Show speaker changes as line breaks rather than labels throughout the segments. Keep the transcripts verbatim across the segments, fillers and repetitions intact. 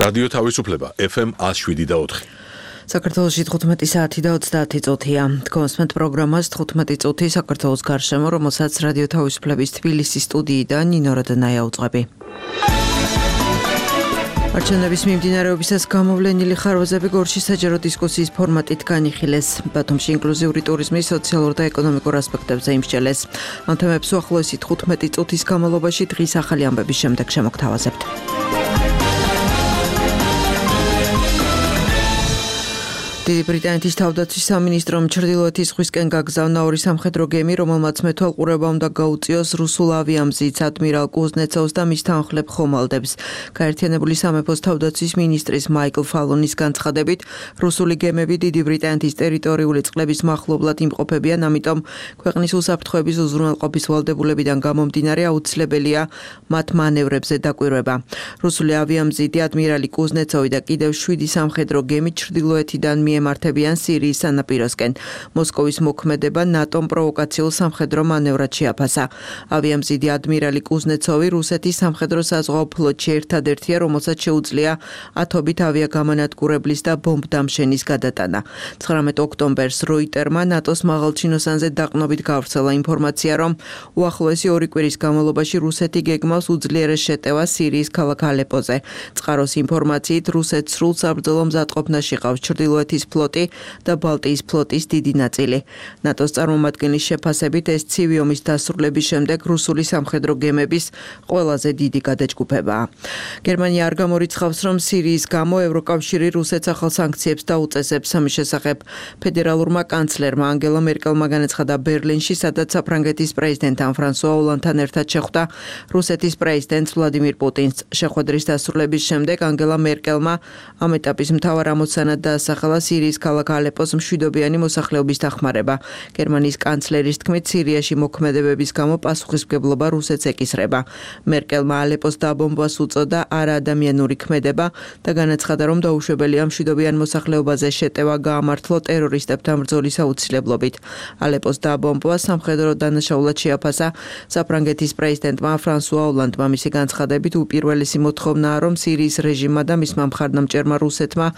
რადიო თავისუფლება ეფ ემ one oh seven point four.
საქართველოში თხუთმეტი საათი და ოცდაათი წუთია. გქონსმენთ პროგრამას თხუთმეტი წუთი საქართველოს გარშემო, რომელსაც რადიო თავისუფლების თბილისის სტუდიიდან ნინო რადანაია უძღვები. არჩევნების მიმდინარეობისას გამოვლენილი ხარვაზები გორში საჯარო დისკუსიის ფორმატით განიხილეს. ბათუმში ინკლუზიური ტურიზმის სოციალურ და ეკონომიკურ ასპექტებზე იმსჯელეს. ამ თემებს უახლოესი თხუთმეტი წუთის განმავლობაში დღის ახალი ამბების შემდეგ შემოგთავაზებთ. დიდი ბრიტანეთის თავდაცვის სამინისტრომ ჩრდილოეთის ზღვისკენ გაგზავნა ორი სამხედრო გემი, რომელმაც მეთვალყურება უნდა გაუწიოს რუსულ ავიამზით ადმირალ კუზნეცოვს და მის თანხლებ ხომალდებს. გაერთიანებული სამეფოს თავდაცვის მინისტრის მაიკლ ფალონის განცხადებით, რუსული გემები დიდი ბრიტანეთის ტერიტორიული წყლების მახლობლად იმყოფებიან, ამიტომ ქვეყნის უსაფრთხოების უზრუნველყოფის ვალდებულებიდან გამომდინარე აუცილებელია მათ მანევრებზე დაკვირვება. რუსული ავიამზიდი ადმირალი კუზნეცოვი და კიდევ შვიდი სამხედრო გემი ჩრდილოეთიდან ემართებიან სირიის სანაპიროსკენ. მოსკოვის მოქმედება ნატომ პროვოკაციულ სამხედრო მანევრად შეაფასა. ავიამზიდი ადმირალი კუზნეცოვი რუსეთის სამხედრო საზღვაო ფლოტში ერთადერთია, რომელსაც შეუძლია ათობით ავიაგამანადგურებლის და ბომბდამშენის გადატანა. ცხრამეტ ოქტომბერს როიტერმა ნატოს მაღალჩინოსანზე დაყრდნობით გავრცელა ინფორმაცია, რომ უახლოესი ორი კვირის განმავლობაში რუსეთი გეგმავს უძლიერეს შეტევას სირიის ქალაქ ალეპოზე. წყაროს ინფორმაციით რუსეთს სრულ საბრძოლო მზადყოფნაში ყავს ჩრდილოეთის ფლოტი და ბალტიის ფლოტის დიდი ნაწილი. ნატოს წარმომადგენლის შეფასებით ეს ცივი ომის დასრულების შემდეგ რუსული სამხედრო გემების ყველაზე დიდი გადაჯგუფებაა. გერმანია არ გამორიცხავს, რომ სირიის გამო ევროკავშირი რუსეთს ახალ სანქციებს დაუწესებს. ამის შესახებ ფედერალურმა კანცლერმა ანგელა მერკელმა განაცხადა ბერლინში, სადაც საფრანგეთის პრეზიდენტთან ფრანსუა ოლანდთან ერთად შეხვდა რუსეთის პრეზიდენტს ვლადიმირ პუტინს. შეხვედრის დასრულების შემდეგ ანგელა მერკელმა ამ ეტაპის მთავარ ამოცანად დაასახელა სირიის ქალაქ ალეპოს მშვიდობიანი მოსახლეობის დახმარება. გერმანიის კანცლერის თქმით, სირიაში მოქმედებების გამო პასუხისმგებლობა რუსეთს ეკისრება. მერკელმა ალეპოს დაბომბვას უწოდა არაადამიანური ქმედება და განაცხადა, რომ დაუშვებელია მშვიდობიან მოსახლეობაზე შეტევა გაამართლო ტერორისტებთან ბრძოლის აუცილებლობით. ალეპოს დაბომბვა სამხედრო დანაშაულად შეაფასა საფრანგეთის პრეზიდენტმა ფრანსუა ოლანდმა. მისი განცხადებით, უპირველესი მოთხოვნაა, რომ სირიის რეჟიმმა და მისმა მხარდამჭერმა რუსეთმა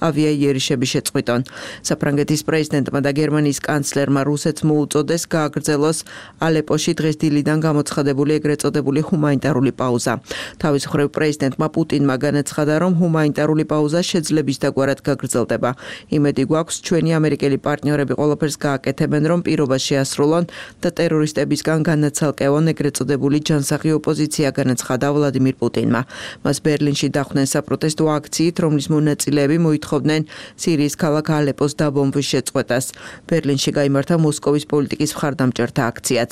ავიაიერიშები შეწყვიტონ. საფრანგეთის პრეზიდენტმა და გერმანიის კანცლერმა რუსეთს მოუწოდეს გააგრძელოს ალეპოში დღეს დილიდან გამოცხადებული ეგრეთ წოდებული ჰუმანიტარული პაუზა. თავის მხრივ პრეზიდენტმა პუტინმა განაცხადა, რომ ჰუმანიტარული პაუზა შეძლებისდაგვარად გაგრძელდება. იმედი გვაქვს, ჩვენი ამერიკელი პარტნიორები ყველაფერს გააკეთებენ, რომ პირობა შეასრულონ და ტერორისტებისგან განაცალკევონ ეგრეთ წოდებული ჯანსაღი ოპოზიცია, განაცხადა ვლადიმირ პუტინმა. მას ბერლინში დახვდნენ საპროტესტო აქციით, რომლის მონაწილეები მოითხოვდნენ სირიის ქალაქ ალეპოს დაბომბვის შეწყვეტას. ბერლინში გაიმართა მოსკოვის პოლიტიკის მხარდამჭერთა აქციაც.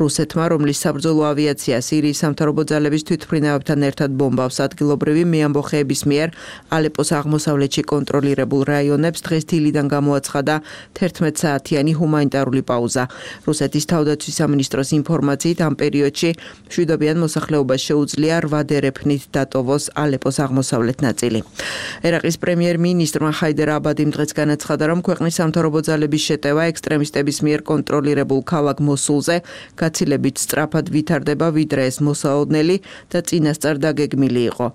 რუსეთმა, რომლის საბრძოლო ავიაცია სირიის სამთავრობო ძალების თვითმფრინავებთან ერთად ბომბავს ადგილობრივი მეამბოხეების მიერ ალეპოს აღმოსავლეთში კონტროლირებულ რაიონებს, დღეს დილიდან გამოაცხადა თერთმეტ საათიანი ჰუმანიტარული პაუზა. რუსეთის თავდაცვის სამინისტროს ინფორმაციით, ამ პერიოდში მშვიდობიან მოსახლეობას შეუძლია რვა დერეფნით დატოვოს ალეპოს აღმოსავლეთ ნაწილი. ერაყის პრემიერ-მინისტრმა ჰაიდერ აბადიმ დღეს განაცხადა, რომ ქვეყნის სამთავრობო ძალების შეტევა ექსტრემისტების მიერ კონტროლირებულ ქალაქ მოსულზე გაცილებით სწრაფად ვითარდება, ვიდრე ეს მოსალოდნელი და წინასწარ დაგეგმილი იყო.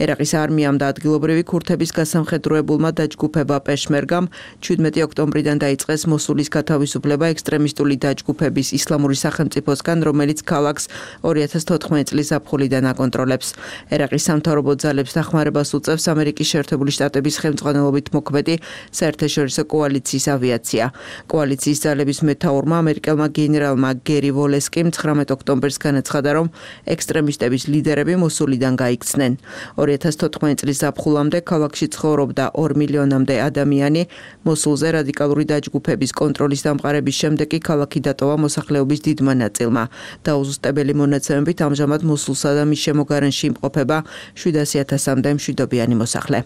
ერაყის არმიამ და ადგილობრივი ქურთების გასამხედროებულმა დაჯგუფება პეშმერგამ შვიდმეტი ოქტომბრიდან დაიწყეს მოსულის გათავისუფლება ექსტრემისტული დაჯგუფების ისლამური სახელმწიფოსგან, რომელიც ქალაქს ორი ათას თოთხმეტი წლის ზაფხულიდან აკონტროლებს. ერაყის სამთავრობო ძალებს დახმარებას უწევს ამერიკის შეერთებული შტატების ხელმძღვანელობით მოქმედი საერთაშორისო კოალიციის ავიაცია. კოალიციის ძალების მეთაურმა ამერიკელმა გენერალმა გერი ვოლესკიმ ცხრამეტ ოქტომბერს განაცხადა, რომ ექსტრემისტების ლიდერები მოსულიდან გაიქცნენ. ორი ათას თოთხმეტი წლის ზაფხულამდე ქალაქში ცხოვრობდა ორ მილიონამდე ადამიანი. მოსულზე რადიკალური დაჯგუფების კონტროლის დამყარების შემდეგ კი ქალაქი დატოვა მოსახლეობის დიდმა ნაწილმა. დაუზუსტებელი მონაცემებით ამჟამად მოსულსა და მის შემოგარენში იმყოფება შვიდასი ათასამდე მშვიდობიანი მოსახლე.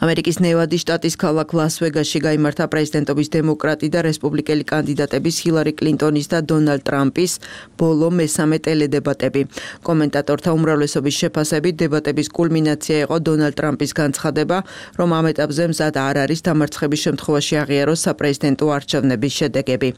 ამერიკის ნევადის შტატის ქალაქ ლას-ვეგასში გაიმართა პრეზიდენტობის დემოკრატი და რესპუბლიკელი კანდიდატების ჰილარი კლინტონის და დონალდ ტრამპის ბოლო მესამე ტელედებატები. კომენტატორთა უმრავლესობის შეფასებით დებატების კულმინაცია იყო დონალდ ტრამპის განცხადება, რომ ამ ეტაპზე მზად არ არის დამარცხების შემთხვევაში აღიაროს საპრეზიდენტო არჩევნების შედეგები.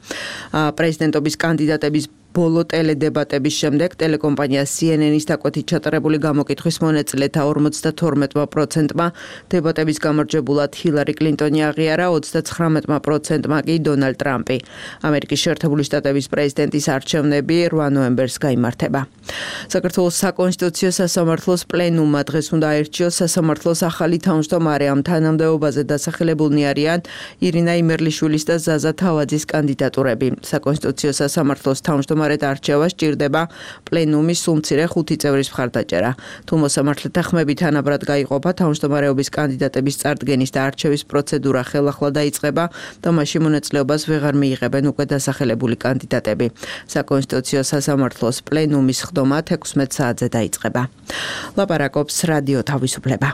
პრეზიდენტობის კანდიდატების ბოლო ტელედებატების შემდეგ ტელეკომპანია C N N-ის დაკვეთით ჩატარებული გამოკითხვის მონაწილეთა ორმოცდათორმეტ პროცენტმა დებატების გამარჯვებულად ჰილარი კლინტონი აღიარა, ოცდაცხრამეტ პროცენტმა კი დონალდ ტრამპი. ამერიკის შეერთებული შტატების პრეზიდენტის არჩევნები რვა ნოემბერს გაიმართება. საქართველოს საკონსტიტუციო სასამართლოს პლენუმმა დღეს უნდა აირჩიოს სასამართლოს ახალი თავმჯდომარე. ამ თანამდებობაზე დასახელებულნი არიან ირინა იმერლიშვილის და ზაზა თავაძის კანდიდატურები. საკონსტიტუციო სასამართლოს თავმჯდომარედ არჩევა სჭირდება პლენუმის სულ მცირე ხუთი წევრის მხარდაჭერა. თუ მოსამართლეთა ხმები თანაბრად გაიყოფა, თავმჯდომარეობის კანდიდატების წარდგენის და არჩევის პროცედურა ხელახლა დაიწყება და მაშინ მონაწილეობას ვეღარ მიიღებენ უკვე დასახელებული კანდიდატები. საკონსტიტუციო სასამართლოს პლენუმის ხდომა თექვსმეტ საათზე დაიწყება. ლაპარაკობს რადიო თავისუფლება.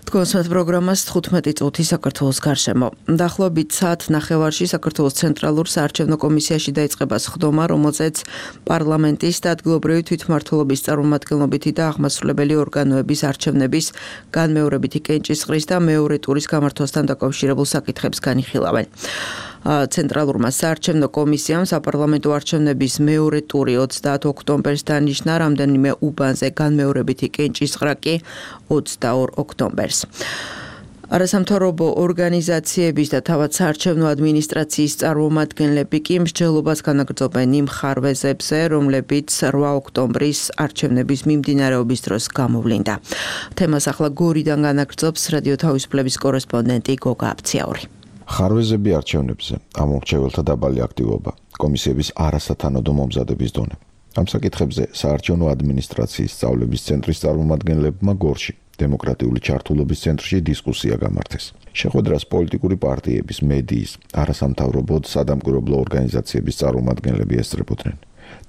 კონსერტ პროგრამას თხუთმეტი წუთი საქართველოს გარშემო. დაახლოებით საათ ნახევარში საქართველოს ცენტრალურ საარჩევნო კომისიაში დაიწყება სხდომა, რომელზეც პარლამენტის და ადგილობრივი თვითმმართველობის წარმომადგენლობითი და აღმასრულებელი ორგანოების არჩევნების განმეორებითი კენჭისყრის და მეორე ტურის გამართვასთან დაკავშირებულ საკითხებს განიხილავენ. ცენტრალურმა საარჩევნო კომისიამ საპარლამენტო არჩევნების მეორე ტური ოცდაათ ოქტომბერს დანიშნა, რამდენიმე უბანზე განმეორებითი კენჭისყრა კი ოცდაორ ოქტომბერს. არასამთავრობო ორგანიზაციების და თავად საარჩევნო ადმინისტრაციის წარმომადგენლები კი მსჯელობას განაგრძობენ იმ ხარვეზებზე, რომლებიც რვა ოქტომბრის არჩევნების მიმდინარეობის დროს გამოვლინდა. თემას ახლა გორიდან განაგრძობს რადიო თავისუფლების კორესპონდენტი გოგა აფციაური.
ხარვეზები არჩევნებზე, ამორჩეველთა დაბალი აქტივობა, კომისიების არასათანადო მომზადების დონე. ამ საკითხებზე საარჩევნო ადმინისტრაციის სწავლების ცენტრის წარმომადგენლებმა გორში დემოკრატიული ჩართულობის ცენტრში დისკუსია გამართეს. შეხვედრას პოლიტიკური პარტიების, მედიის, არასამთავრობო სადამკვირვებლო ორგანიზაციების წარმომადგენლები ესწრებოდნენ.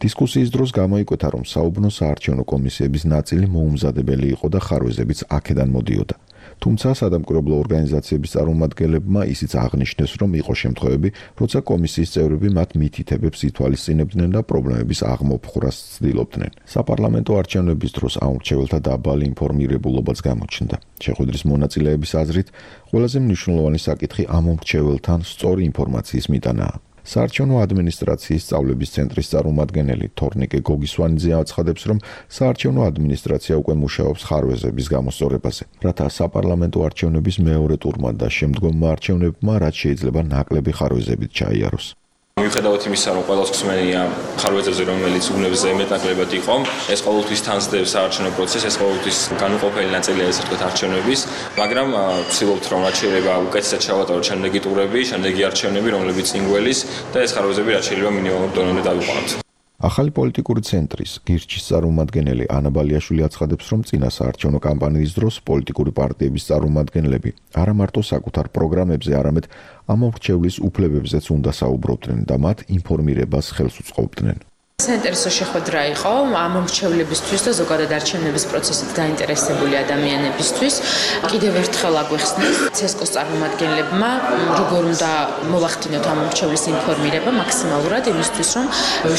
დისკუსიის დროს გამოიკვეთა, რომ საუბნო საარჩევნო კომისიების ნაწილი მოუმზადებელი იყო და ხარვეზებიც აქედან მოდიოდა. თუმცა სადამკვირვებლო ორგანიზაციების წარმომადგენლებმა ისიც აღნიშნეს, რომ იყო შემთხვევები, როცა კომისიის წევრები მათ მითითებებს ითვალისწინებდნენ და პრობლემების აღმოფხვრას ცდილობდნენ. საპარლამენტო არჩევნების დროს ამორჩეველთა დაბალი ინფორმირებულობაც გამოჩნდა. შეხვედრის მონაწილეების აზრით, ყველაზე მნიშვნელოვანი საკითხი ამორჩეველთან სწორი ინფორმაციის მიტანაა. საარჩევნო ადმინისტრაციის სწავლების ცენტრის წარმომადგენელი თორნიკე გოგისვანიძე აცხადებს, რომ საარჩევნო ადმინისტრაცია უკვე მუშაობს ხარვეზების გამოსწორებაზე, რათა საპარლამენტო არჩევნების მეორე ტურმა და შემდგომმა არჩევნებმა რაც შეიძლება ნაკლები ხარვეზებით ჩაიაროს.
მიუხედავად იმისა, რომ ყველას ხსმენია ხარვეზებზე, რომელიც უნებზე მეტნაკლებად იყო, ეს ყოველთვის თანსდებს საარჩევნო პროცესს, ეს ყოველთვის განუყოფელი ნაწილია ესე ვთქვათ არჩევნების, მაგრამ ვცდილობთ, რომ რაც შეიძლება უკეთესად ჩავატაროთ შემდეგი ტურები, შემდეგი არჩევნები, რომლებიც წინ გველის და ეს ხარვეზები რაც შეიძლება მინიმალურ დონემდე დავიყვანოთ.
ახალი პოლიტიკური ცენტრის გირჩის წარმომადგენელი ანა ბალიაშვილი აცხადებს, რომ წინა საარჩევნო კამპანიის დროს პოლიტიკური პარტიების წარმომადგენლები არა მარტო საკუთარ პროგრამებზე, არამედ ამორჩევლის უფლებებზეც უნდა საუბრობდნენ და მათ ინფორმირებას ხელს უწყობდნენ.
საინტერესო შეხვედრა იყო ამორჩევლებისთვის და ზოგადად არჩევნების პროცესით დაინტერესებული ადამიანებისთვის. კიდევ ერთხელ აგვეხსნეს ცესკოს წარმომადგენლებმა, როგორ უნდა მოვახდინოთ ამორჩევლის ინფორმირება მაქსიმალურად იმისთვის, რომ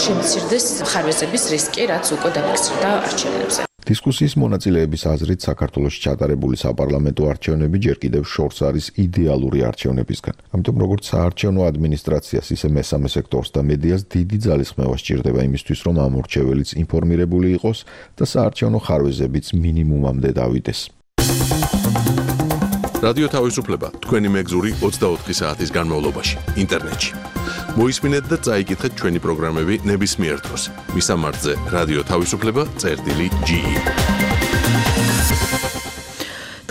შემცირდეს ხარვეზების რისკი, რაც უკვე დაფიქსირდა არჩევნებზე.
დისკუსიის მონაწილეების აზრით, საქართველოში ჩატარებული საპარლამენტო არჩევნები ჯერ კიდევ შორს არის იდეალური არჩევნებისგან. ამიტომ როგორც საარჩევნო ადმინისტრაციას, ისე მესამე სექტორს და მედიას დიდი ძალისხმევა სჭირდება იმისთვის, რომ ამორჩეველიც ინფორმირებული იყოს და საარჩევნო ხარვეზებიც მინიმუმამდე დავიდეს.
რადიო თავისუფლება თქვენი მეგზური ოცდაოთხი საათის განმავლობაში ინტერნეტში. მოისმინეთ და წაიკითხეთ ჩვენი პროგრამები ნებისმიერ დროს. მისამართზე რადიო თავისუფლება წერტილი ჯი ი.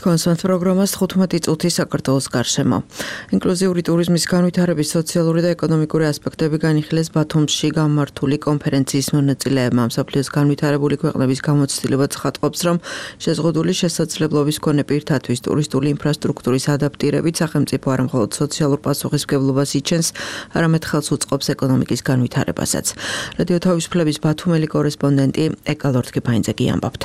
კონსერტ პროგრამას თხუთმეტი წუთი საქართველოს გარშემო. ინკლუზიური ტურიზმის განვითარების სოციალური და ეკონომიკური ასპექტები განიხილეს ბათუმში გამართული კონფერენციის მონაწილეებმა. მსოფლიოს განვითარებული ქვეყნების გამოცდილება ცხადყოფს, რომ შეზღუდული შესაძლებლობის მქონე პირთათვის ტურისტული ინფრასტრუქტურის ადაპტირებით სახელმწიფო არა მხოლოდ სოციალურ პასუხისმგებლობას იჩენს, არამედ ხელს უწყობს ეკონომიკის განვითარებასაც. რადიო თავისუფლების ბათუმელი კორესპონდენტი ეკალორთკიფაინძე კი ამბობთ.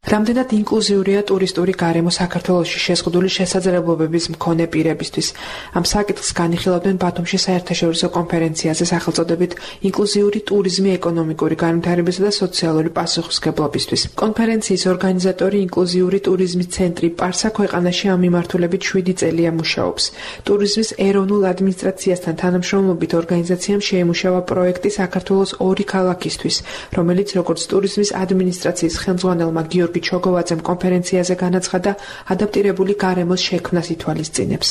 რამდენად ინკლუზიურია ტურისტული გარემო საქართველოში შეზღუდული შესაძლებლობების მქონე პირებისთვის. Ამ საკითხს განიხილავდნენ ბათუმში საერთაშორისო კონფერენციაზე სახელწოდებით ინკლუზიური ტურიზმი ეკონომიკური განვითარებისა და სოციალური პასუხისმგებლობისთვის. კონფერენციის ორგანიზატორი ინკლუზიური ტურიზმის ცენტრი პარსა ქვეყანაში ამ მიმართულებით შვიდი წელია მუშაობს. ტურიზმის ეროვნულ ადმინისტრაციასთან თანამშრომლობით ორგანიზაციამ შეიმუშავა პროექტი საქართველოს ორი ქალაქისთვის, რომელიც როგორც ტურიზმის ადმინისტრაციის ხელმძღვანელმა გიორგი ჩოგოვაძემ კონფერენციაზე განაცხადა, ადაპტირებული გარემოს შექმნას ითვალისწინებს.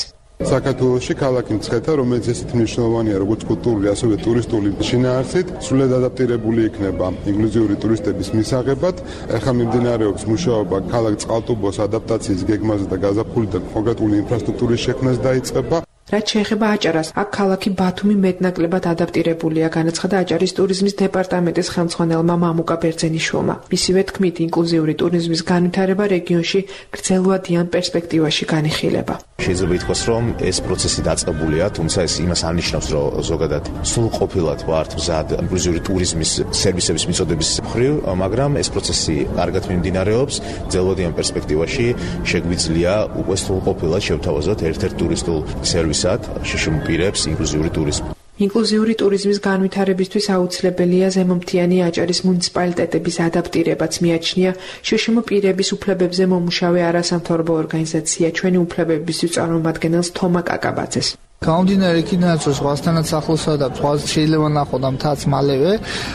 საქართველოში ქალაქი მცხეთა, რომელიც ესეთი მნიშვნელოვანია როგორც კულტურული, ასევე ტურისტული შინაარსით, სრულად ადაპტირებული იქნება ინკლუზიური ტურისტების მისაღებად. ახლა მიმდინარეობს მუშაობა ქალაქ წყალტუბოს ადაპტაციის გეგმაზე და გაზაფხული და კონკრეტული ინფრასტრუქტურის შექმნას დაიწყება. რაც შეეხება აჭარას, აქ ქალაქი ბათუმი მეტნაკლებად ადაპტირებულია, განაცხადა აჭარის ტურიზმის დეპარტამენტის ხელმძღვანელმა მამუკა ბერძენიშვილმა. მისივე თქმით, ინკლუზიური ტურიზმის განვითარება რეგიონში გრძელვადიან პერსპექტივაში განიხილება.
შეიძლება ითქვას, რომ ეს პროცესი დაწყებულია, თუმცა ეს იმას არნიშნავს, რომ ზოგადად სრულყოფილად ვართ მზად ინკლუზიური ტურიზმის სერვისების მიწოდების მხრივ, მაგრამ ეს პროცესი კარგად მიმდინარეობს, გრძელვადიან პერსპექტივაში შეგვიძლია უკვე სრულყოფილად შევთავაზოთ ერთ-ერთ ტურისტულ სერვისად შშმ პირებს ინკლუზიური ტურიზმი.
ინკლუზიური ტურიზმის განვითარებისთვის აუცილებელია ზემომთიანი აჭარის მუნიციპალიტეტების ადაპტირებაც, მიაჩნია შშმ პირების უფლებებზე მომუშავე არასამთავრობო ორგანიზაცია ჩვენი უფლებებისთვის წარმომადგენელს თომა კაკაბაძეს.
გამომდინარე იქიდან, რომ ზღვასთანაც ახლოსა და ზღვას შეიძლება ნახოთ ამ თაც მალევე,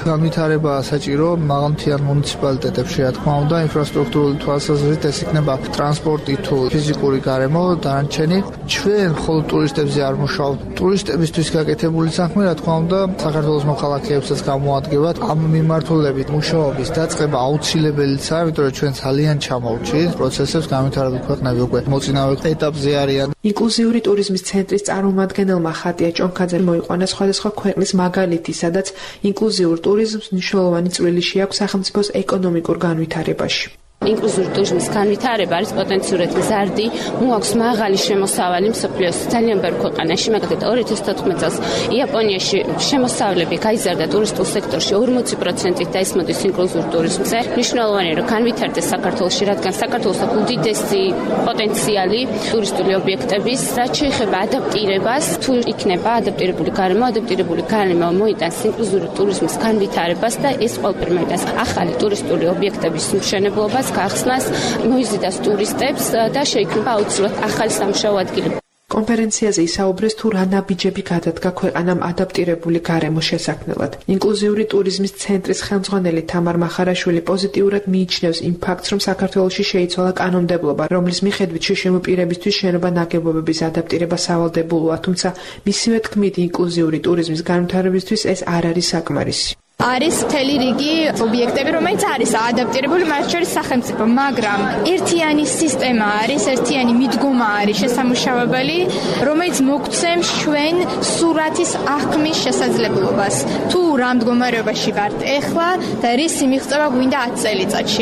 განვითარება საჭირო მაღალმთიან მუნიციპალიტეტებში, რა თქმა უნდა, ინფრასტრუქტურული თვალსაზრისით ეს იქნება ტრანსპორტი თუ ფიზიკური გარემო, დანარჩენი. ჩვენ მხოლოდ ტურისტებზე არ მუშაობთ. ტურისტებისთვის გაკეთებული საქმე, რა თქმა უნდა, საქართველოს მოქალაქეებსაც გამოადგებათ. ამ მიმართულებით მუშაობის დაწყება აუცილებელია, იმიტომ რომ ჩვენ ძალიან ჩამოვჭით პროცესებს, განვითარებული ქვეყნები უკვე მოწინავე ეტაპზე არიან.
ინკლუზიური ტურიზმის ცენტრის წარმომადგენელმა ხატია ჭონქაძე მოიყვანა სხვადასხვა ქვეყნის მაგალითი, სადაც ინკლუზიურ ტურიზმს მნიშვნელოვანი წვლილი აქვს სახელმწიფოს ეკონომიკურ განვითარებაში.
ინკლუზიური ტურიზმის განვითარება არის პოტენციურად მზარდი, მოაქვს მაღალი შემოსავალი მსოფლიოს ძალიან ბევრ ქვეყანაში, მაგალითად ორი ათას თოთხმეტ წელს იაპონიაში შემოსავლები გაიზარდა ტურისტულ სექტორში ორმოცი პროცენტით და ეს მოდის ინკლუზიურ ტურიზმზე. მნიშვნელოვანია, რომ განვითარდეს საქართველოში, რადგან საქართველოს აქვს უდიდესი პოტენციალი ტურისტული ობიექტების, რაც შეეხება ადაპტირებას, თუ იქნება ადაპტირებული გარემო, ადაპტირებული გარემო მოიტანს ინკლუზიური ტურიზმის განვითარებას და ეს ყველაფერი მოიტანს ახალი ტურისტული ობიექტების მშენებლობას, გახსნას, მოიზიდას ტურისტებს და შეიქმნება აუცილებლად ახალი სამუშაო ადგილები.
კონფერენციაზე ისაუბრეს თუ რა ნაბიჯები გადადგა ქვეყანამ ადაპტირებული გარემოს შესაქმნელად. ინკლუზიური ტურიზმის ცენტრის ხელმძღვანელი თამარ მახარაშვილი პოზიტიურად მიიჩნევს იმ ფაქტს, რომ საქართველოში შეიცვალა კანონმდებლობა, რომლის მიხედვით შშმ პირებისთვის შენობა ნაგებობების ადაპტირება სავალდებულოა, თუმცა მისივე თქმით, ინკლუზიური ტურიზმის განვითარებისთვის ეს არ არის საკმარისი.
არის მთელი რიგი ობიექტები, რომელიც არის ადაპტირებული, მათ შორის სახელმწიფო, მაგრამ ერთიანი სისტემა არის, ერთიანი მიდგომა არის შესამუშავებელი, რომელიც მოგცემს ჩვენ სურათის აღქმის შესაძლებლობას. თუ რა მდგომარეობაში ვართ ეხლა და რისი მიღწევა გვინდა ათი წელიწადში.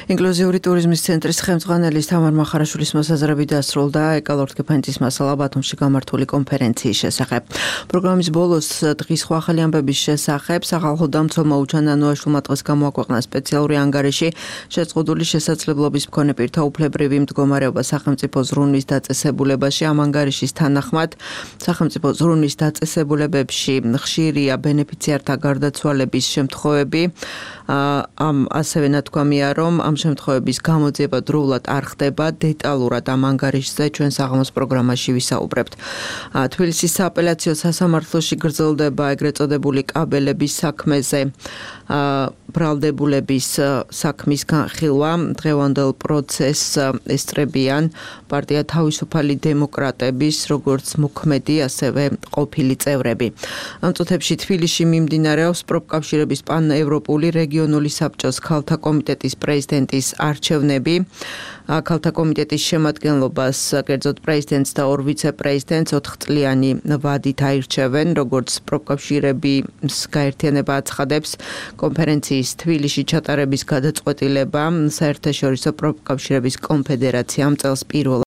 ინკლუზიური ტურიზმის ცენტრის ხელმძღვანელის თამარ მახარაშვილის მოსაზრებით დასრულდა ეკალორტ-კეფენცის მასალა ბათუმში გამართული კონფერენციის შესახებ. პროგრამის ბოლოს დღის სხვა ახალი ამბების შესახებ სახალხო დამცველმა უჩან ანუაშვილმა დღეს გამოაქვეყნა სპეციალური ანგარიში შეზღუდული შესაძლებლობის მქონე პირთა უფლებრივი მდგომარეობა სახელმწიფო ზრუნვის დაწესებულებაში. ამ ანგარიშის თანახმად სახელმწიფო ზრუნვის დაწესებულებებში ხშირია ბენეფიციართა გარდაცვალების შემთხვევები. ამ ასევე ნათქვამია, რომ ამ შემთხვევების გამოძიება დროულად არ ხდება. დეტალურად ამ ანგარიშზე ჩვენ საღამოს პროგრამაში ვისაუბრებთ. თბილისის სააპელაციო სასამართლოში გრძელდება ეგრეთ წოდებული კაბელების საქმეზე ბრალდებულების საქმის განხილვა. დღევანდელ პროცესს ესწრებიან პარტია თავისუფალი დემოკრატების როგორც მოქმედი, ასევე ყოფილი წევრები. ამ წუთებში თბილისში მიმდინარეობს პროფკავშირების პანევროპული რეგიონული საბჭოს ქალთა კომიტეტის პრეზიდენტის არჩევნები. ქალთა კომიტეტის შემადგენლობას კერძოდ პრეზიდენტს და ორ ვიცე-პრეზიდენტს ოთხწლიანი ვადით აირჩევენ, როგორც პროფკავშირების გაერთიანება აცხადებს. კონფერენციის თბილისში ჩატარების გადაწყვეტილება საერთაშორისო პროფკავშირების კონფედერაციამ წელს პირველ